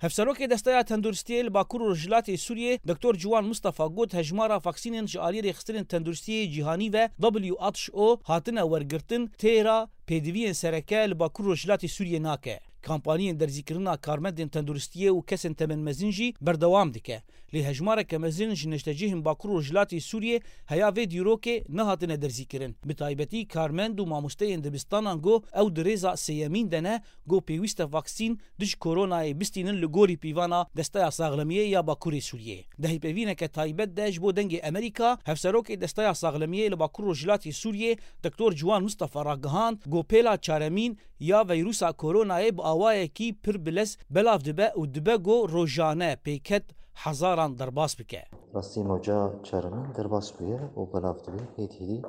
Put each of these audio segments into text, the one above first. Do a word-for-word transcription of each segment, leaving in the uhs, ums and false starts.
Hevserokê Desteya Tenduristiyê li Bakur û Rojhilatê Sûriyê, Doktor Ciwan Mustafa got, hejmara vaksînên ji aliyê Rêxistinên Tenduristiyê Cîhanî ve W H O hatine wergirtin, têra pêdiviyên sereke li Bakur Rojhilatê Sûriyê nake. Kampaniyên derzîkirina karmendên tenduristiyê û kesên temenmezin jî berdewam dike. Lê hejmareke mezin ji neştecihên Bakur û Rojhilatê Sûriyê heya vê dîrokê nehatine derzîkirin. Bi taybetî karmend û mamosteyên dibistanan got ew di rêza sêyemîn de ne, got pêwîst e vaksîn dij koronayê bistînin li gorî pîvana Desteya Saxlemiyê ya Bakurê Sûriyê. Di hevpeyvîneke taybet de ji bo Dengê Amerîka, hevserokê Desteya Saxlemiyê li Bakur Rojhilatê Sûriyê, Doktor Ciwan Mustafa ragihand, got pêla çaremîn ya veyrusa koronayê bi awayekî pir bilez belav dibe û dibe got rojane pêket hezaran derbas bike. Rastî mewca çaremîn derbas bûye û belav dibe, hêdî hêdî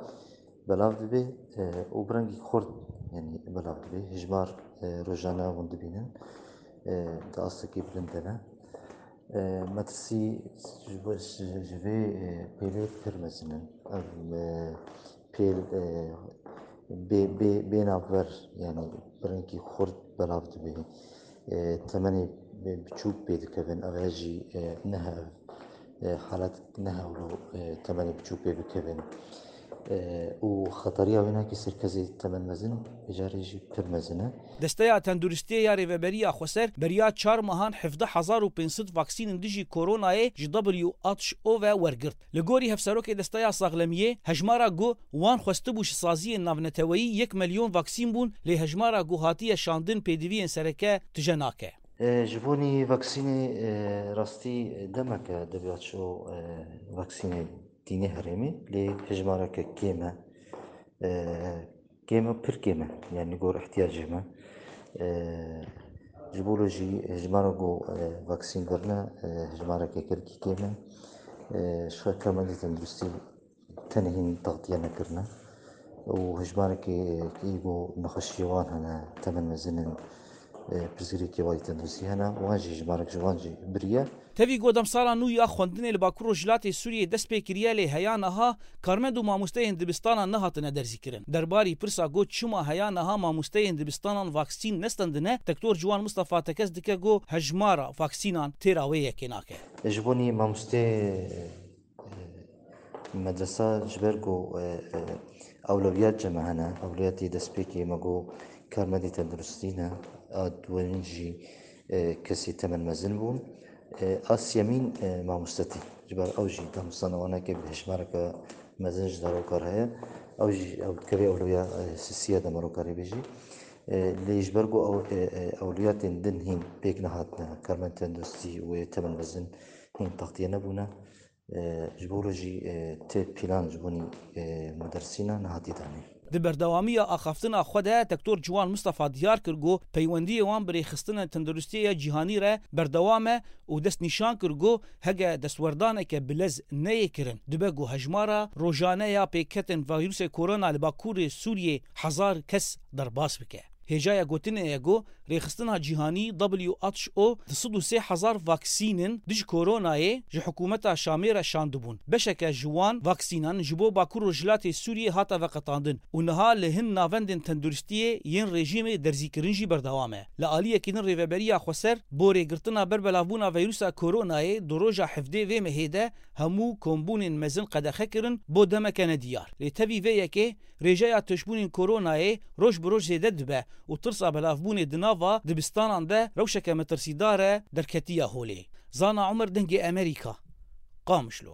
belav dibe, e, û bi rengî xurt, yanî belav dibe. Hejmar, e, rojane hûn dibînin, e, di astekî bilind de ne. E, metirsî ji bo, ji, ji vê, e, pêlê pir mezin in. Ev, e, pêl, e, bê, bê, bê navber, yanî bi rengî xurt belav dibe. E, temenê bi-, biçûk pê dikevin. Ev jî, e, ne hev, e, halet ne hewlo, e, temenê biçûk pê bikevin. E, û xetariya wê nake ser kesê temen mezin, vê carê jî pir mezin e. Desteya Tenduristiyê ya Rêveberiya Xweser beriya çar mehan hevdeh hezar û pênc sed vaksînên dijî koronayê ji W H O ve wergirt. Li gorî hevserokê Desteya Saxlemiyê, hejmara ku wan xwestibû ji saziyên navneteweyî yek milyon vaksîn bûn, lê hejmara ku hatiye şandin pêdiviyên sereke tije nake. E, ji bo nî vaksînê, e, rastî demeke W H O, e, vaksînê tîne herêmê, lê hejmareke kêm e. E, kêm e, pir kêm e. Yani li gor ihtiyacê me. E, ji bo lo jî hejmara ku, e, vaksîn birine, e, hejmareke gelkî kêm e. E, ji xwe karmendê tenduristî tenê hîn taxtiye nekirine û hejmarekê ku nexweşiyê wan hene, temen mezin in, e, pirsgirêkê wayî tenduristî hene, wan jî hejmarek ji wan jî biriye. Tevî ku demsala nû ya xwendinê li Bakur Rojhilatê Sûriyê dest pê kiriye, lê heya niha karmend û mamosteyên dibistanan nehatine derzîkirin. Derbarî pirsa ku çima heya niha mamosteyên dibistanan vaksîn nestendine, Doktor Ciwan Mustafa tekez dike ku hejmara vaksînan têra wê yekê nake. Ji bo nî mamosteyê Medresa ji ber ku, e, e, ewlewiyat ji me hene, ewlewiyatê destpêkê me got karmendê tenduristî ne, a duweyîn jî, e, kesê temen mezin bûn. E, a siyemîn, e, mamostetî. Ji ber ew jî damosanawaneke bi hejmareke mezin ji daroka re heye. Ew jî, ew dikeve ewlewiya, e, sisiya demaroka rê bêjî. E, lê ji ber ku ew, e, e, ewlewiyatên din hîn pêk nehatine, karmend tenduristî û yê temen mezin hîn taxtiye nebûne. E, ji bo re jî, e, tê pîlan ji bo nî, e, mudersîna nehatiye danîn. Di berdewamiya axaftina xwe de Doktor Ciwan Mustafa diyar kir ku peywendiyê wan bi rêxistina tenduristiyê ya cîhanî re berdewam e û destnîşan kir ku hege destwerdaneke bilez neyê kirin, dibe ku hejmara rojane ya pêketên vîrusê korona li Bakurê Sûriyê hezar kes derbas bike. Hêjaya gotinê ye ku rêxistina cîhanî W H O du sed û sê hezar vaksînin dij koronayê ji hikûmeta Şamê re şandibûn. Beşeke ji wan vaksînan ji bo Bakur Rojhilatê Sûriyê hate veqetandin û niha li hin navendên tenduristiyê yên rejîmê derzîkirin jî berdewam e. Li aliyekî din Rêveberiya Xweser bo rêgirtina berbelavbûna vîrusa koronayê di roja hevdê vê mehê de hemû kombûnên mezin qedexe kirin bo demeke nediyar. Lê tevî vê yekê rêjeya tûşbûnên koronayê roj bi roj zêde dibe û tirsa belavbûnê di nava dibistanan de rewşeke metirsîdar e derketiye holê. Zana Umer, Dengê Amerîka, Qamişlo.